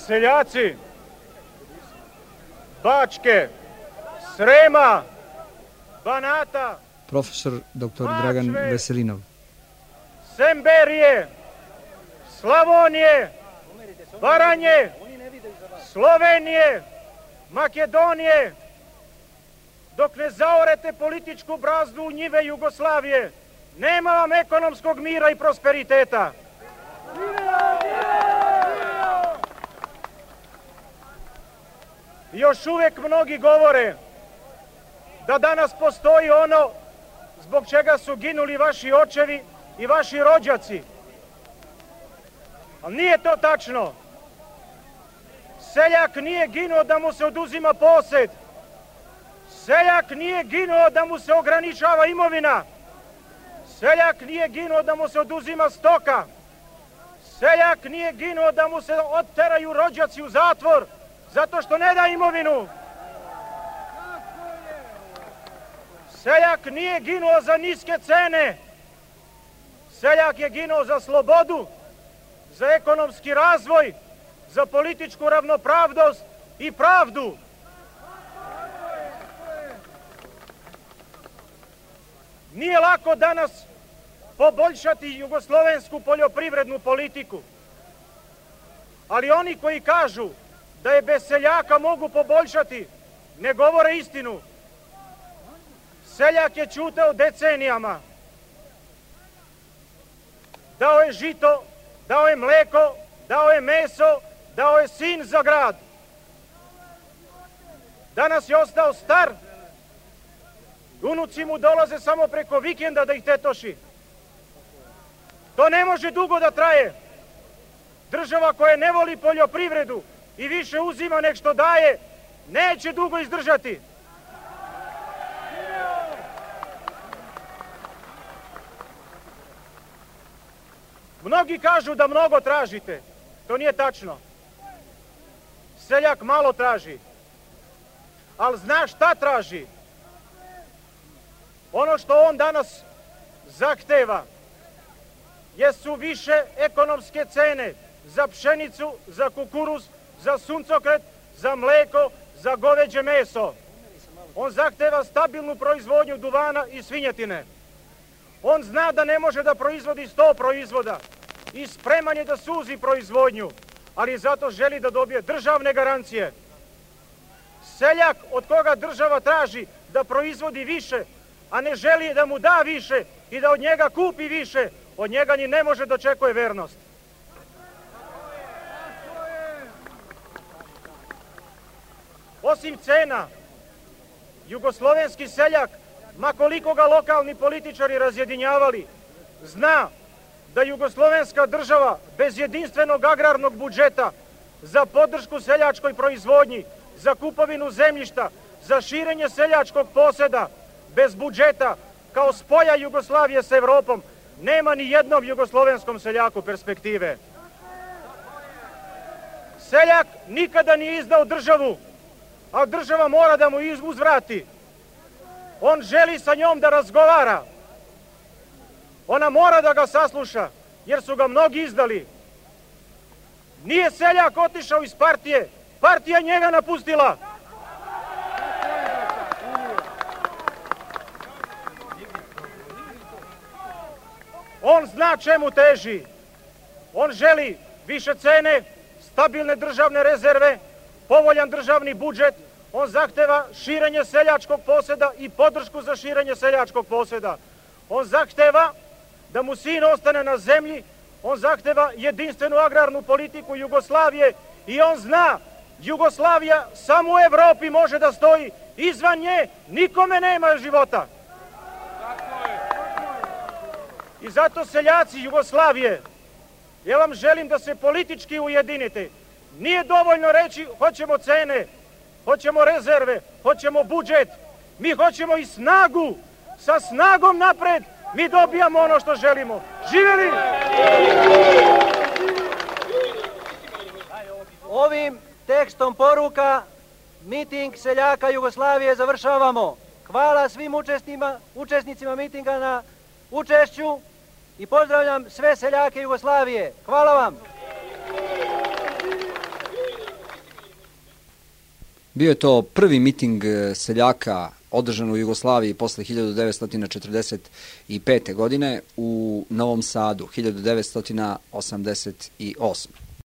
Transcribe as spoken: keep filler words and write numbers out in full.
Seljaci Bačke, Srema, Banata, profesor doktor Dragan Veselinov, Semberije, Slavonije, Baranje, Slovenije, Makedonije, dok ne zaorete političku brazdu u njive Jugoslavije, nema vam ekonomskog mira i prosperiteta. Još uvijek mnogi govore da danas postoji ono zbog čega su ginuli vaši očevi i vaši rođaci. Ali nije to tačno. Seljak nije ginuo da mu se oduzima posjed. Seljak nije ginuo da mu se ograničava imovina. Seljak nije ginuo da mu se oduzima stoka. Seljak nije ginuo da mu se otteraju rođaci u zatvor zato što ne da imovinu. Seljak nije ginuo za niske cene. Seljak je ginuo za slobodu, za ekonomski razvoj, za političku ravnopravnost i pravdu. Nije lako danas poboljšati jugoslovensku poljoprivrednu politiku. Ali oni koji kažu da je bez seljaka mogu poboljšati, ne govore istinu. Seljak je ćutao decenijama. Dao je žito, dao je mleko, dao je meso, dao je sin za grad. Danas je ostao star. Unuci mu dolaze samo preko vikenda da ih tetoši. To ne može dugo da traje. Država koja ne voli poljoprivredu i više uzima nek što daje, neće dugo izdržati. Mnogi kažu da mnogo tražite. To nije tačno. Seljak malo traži. Ali zna šta traži? Ono što on danas zahteva jesu više ekonomske cene za pšenicu, za kukuruz, za suncokret, za mleko, za goveđe meso. On zahteva stabilnu proizvodnju duvana i svinjetine. On zna da ne može da proizvodi sto proizvoda i spreman je da suzi proizvodnju, ali zato želi da dobije državne garancije. Seljak od koga država traži da proizvodi više, a ne želi da mu da više i da od njega kupi više, od njega ni ne može da očekuje vernost. Osim cena, jugoslovenski seljak, ma koliko ga lokalni političari razjedinjavali, zna da jugoslovenska država bez jedinstvenog agrarnog budžeta za podršku seljačkoj proizvodnji, za kupovinu zemljišta, za širenje seljačkog posjeda, bez budžeta, kao spoja Jugoslavije s Evropom, nema ni jednom jugoslovenskom seljaku perspektive. Seljak nikada nije izdao državu, a država mora da mu uzvrati. On želi sa njom da razgovara. Ona mora da ga sasluša, jer su ga mnogi izdali. Nije seljak otišao iz partije, partija njega napustila. On zna čemu teži. On želi više cene, stabilne državne rezerve, povoljan državni budžet. On zahteva širenje seljačkog posjeda i podršku za širenje seljačkog posjeda. On zahteva da mu sin ostane na zemlji. On zahteva jedinstvenu agrarnu politiku Jugoslavije i on zna, Jugoslavija samo u Evropi može da stoji. Izvan nje nikome nema života. I zato seljaci Jugoslavije, ja vam želim da se politički ujedinite. Nije dovoljno reći hoćemo cene, hoćemo rezerve, hoćemo budžet. Mi hoćemo i snagu. Sa snagom napred mi dobijamo ono što želimo. Živjeli! Ovim tekstom poruka miting seljaka Jugoslavije završavamo. Hvala svim učesnicima mitinga na učešću i pozdravljam sve seljake Jugoslavije. Hvala vam! Bio je to prvi miting seljaka održan u Jugoslaviji posle hiljadu devetsto četrdeset pete. godine u Novom Sadu, hiljadu devetsto osamdeset osme.